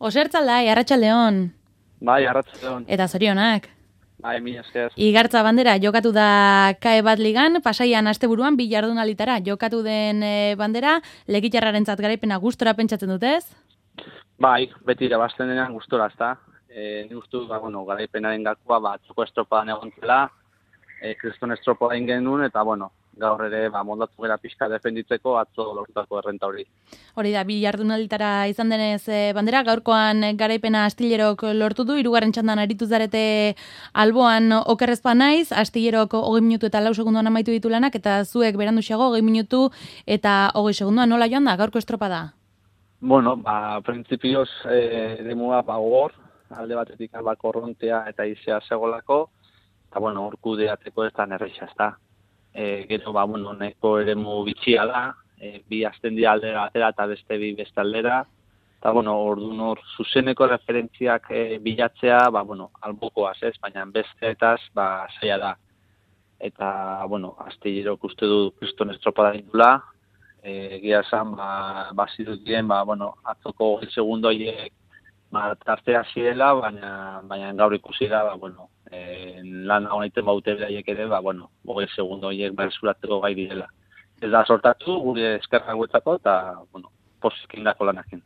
Osertzaldai, arratsaldeon. Bai, arratsaldeon. Eta zorionak. Bai, mila esker. Igartza bandera jokatu da KE bat ligan, Pasaian asteburuan 2 jardunalditara jokatu den bandera, Legitarrarentzat garaipena gustora pentsatzen dutez? Bai, beti irabazten denean gustora, ezta. Ni uste dut, garaipenaren gakoa, atzoko estropadan egon zela, kriston estropada egin genuen, eta, gaur ere, moldatu gara pixka defenditzeko atzo lortutako errenta hori. Hori da, 2 jardunalditara izan denez bandera, gaurkoan garaipena Astillerok lortu du, 3. txandan aritu zarete alboan okerrezpa naiz, Astillerok 20 minutu eta 4 segunduan amaitu ditu lanak, eta zuek beranduxago 20 minutu eta 20 segunduan nola joan da, gaurko estropada? Printzipioz, demua gogor, alde batetik korrontea eta izea segolako, eta, hor kudeatzeko ez da nerreixa, ez da. Gero, neko eremu bitxia da, bi azten dira aldera atera eta beste bi beste aldera, eta, orduan hor zuzeneko referentziak bilatzea, albokoaz ez, baina besteetaz, zaila da. Eta, Astillerok uste du kriston estropada dindula, egia esan, bazirut diren, atzoko 20 segundo horiek tartea zirela, baina gaur ikusi da, lan honetan baute beraiek ere, 20 segundo horiek berzuratzeko gai direla. Ez da sortatu, gure eskerrak guetzako, eta, posik indako lanakin.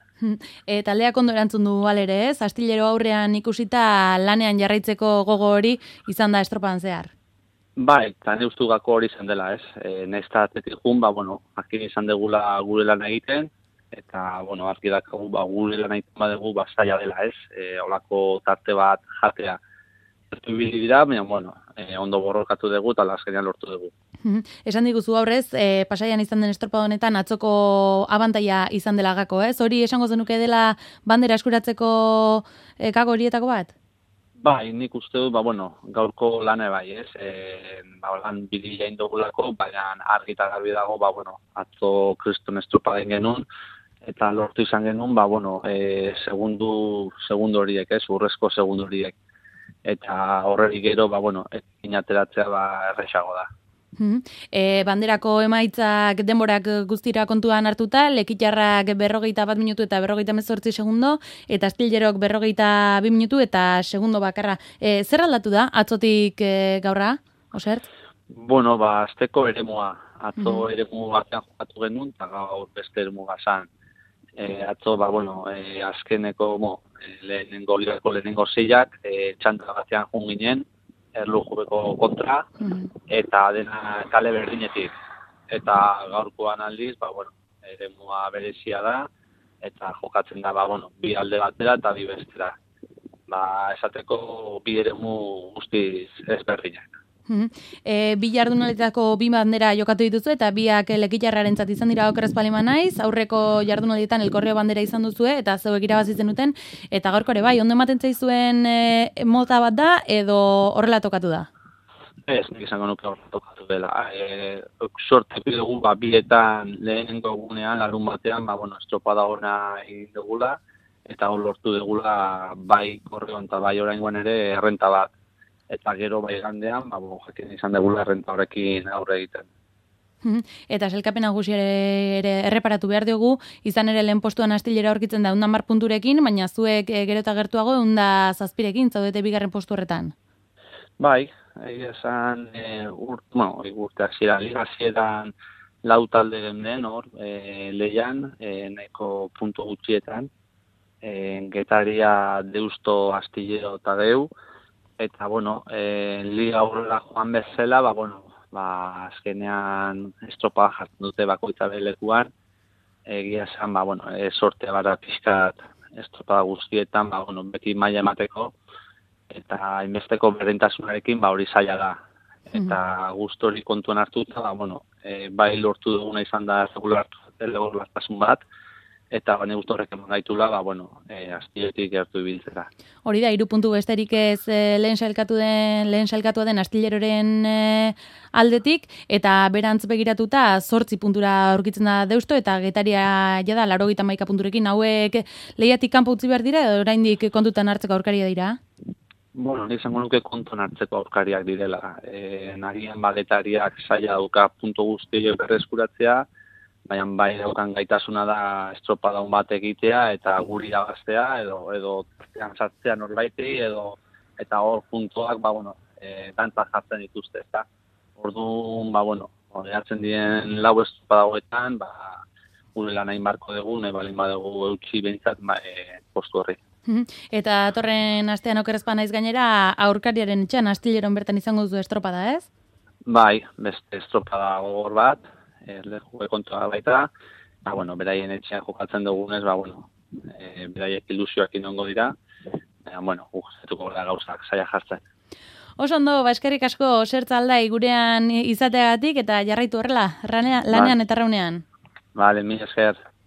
Taldeak ondo erantzun du alere ez, Astillero aurrean ikusita lanean jarraitzeko gogo hori izan da estropan zehar. Bai, eta ne ustu gako hori izan dela ez, nahizta atletik jun, akin izan degula gure lan egiten, eta, argi dakagu, gure lan egiten badegu, zaila dela ez, holako tarte bat jatea. Zertu ibili dira, baina, ondo borrokatu dugu eta azkenean lortu dugu. Esan diguzu aurrez, Pasaian izan den estropada honetan atzoko abantaila izan dela gako, ez? Hori esango zenuke dela bandera eskuratzeko gago horietako bat? Bai, nik uste dut, gaurko lane bai, ez? Lan bidila indogulako, baina argi eta garbi dago, atzo kriston estropada genuen, eta lortu izan genuen, segundu horiek, ez? Urrezko segundu horiek. Eta horrerik gero, inateratzea erresago da. Banderako emaitzak denborak guztira kontuan hartuta, Lekitarrak 21 minutu eta 58 segundo, eta Astillerok 22 minutu eta segundo bakarra. Zer aldatu da, atzotik gaurra, Osert? Azteko eremua. Atzo eremu batean jokatu genuen, eta gaur beste eremu gazan. Atzo, azkeneko lehenengo zeiak, txanta batean jun ginen, erlujubeko kontra, eta dena kale berdinetik. Eta gaurkoan aldiz, eremua berezia da, eta jokatzen da, bi alde batera eta bi bestera. Esateko bi eremu guztiz ezberdinak. 2 jardunaletako 2 bandera jokatu dituzu eta biak Lekitarrarentzat izan dira okerrez palima naiz, aurreko jardunaletan elkorreo bandera izan duzue eta zeuek irabazi zenuten, eta gaurko ere bai, ondo ematen zaizuen mota bat da edo horrela tokatu da? Ez, nik izango nuke horrela tokatu dela. Sorte dugu, bietan lehenengo egunean, larun batean, estropada ona egin dugula, eta hor lortu dugula bai korreon eta bai oraingoan ere errenta bat. Eta gero bai gandean, jakin izan degula errenta horrekin aurre egiten. Eta sailkapen nagusi ere erreparatu behar diogu, izan ere lehen postuan Astillero aurkitzen da 110 punturekin, baina zuek gero eta gertuago 107rekin zaudete 2. postu horretan. Bai, esan urte hasieran 4 talde den hor, lehian, nahiko puntu gutxietan, Getaria, Deusto, Astillero eta Deu, eta, liga aurrera joan bezala, azkenean estropada jartzen dute bakoitza belekuan, egia esan, sortea gara pixkat estropada guztietan, beti maila emateko, eta inbesteko berdintasunarekin, hori zaila da. Eta guztu hori kontuan hartuta, bai lortu duguna izan da regulartasun bat, eta baina guztu horrek eman gaitula, Astillerotik gertu ibiltzera. Hori da, 3 puntu besterik ez lehen sailkatua den Astillerren aldetik, eta berantz begiratuta 8 puntura aurkitzen da Deusto, eta Getaria jada 91 punturekin, hauek lehiatik kanpo utzi behar dira, edo oraindik kontutan hartzeko aurkaria dira? Nik izango nuke kontuan hartzeko aurkariak direla. Nagian Getariak zaila dauka puntu guzti berreskuratzea, baina bai daukan gaitasuna da estropadun bat egitea eta guri irabaztea edo tartean sartzea norbaiti eta hor puntuak dantzak jartzen dituzte, ezta. Orduan, hartzen diren lau estropada hauetan, gure lan hain barko dugu, nahi balin badugu eutxi behintzat postu horri. Eta torren astean okerrezpa naiz gainera, aurkariaren etxean Astilleron bertan izango duzu estropada, ez? Bai, beste estropada gogor bat, leku kontua baita, beraien etxean jokatzen dugunez, beraiek ilusioak inongo dira, guztetuko gara gauzak saia jartzen. Oso ondo, eskerrik asko Zertzaldai gurean izateagatik eta jarraitu horrela, lanean eta raunean. Vale, mila esker.